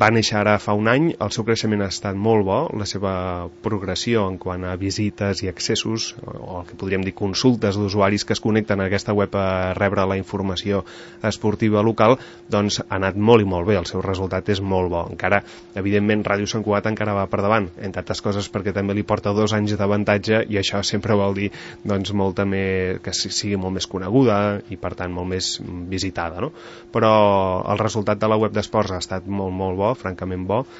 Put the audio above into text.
Va néixer ara fa un any, el seu creixement ha estat molt bo, la seva progressió en quant a visites i accessos, o el que podríem dir consultes d'usuaris que es connecten a aquesta web a rebre la informació esportiva local, doncs ha anat molt i molt bé, el seu resultat és molt bo. Encara, evidentment, Ràdio Sant Cugat encara va per davant, entre altres coses perquè també li porta 2 anys d'avantatge i això sempre vol dir doncs, molta més, que sigui molt més coneguda i per tant molt més visitada, no? Però el resultat de la web d'esports ha estat molt, molt bo, francament bo,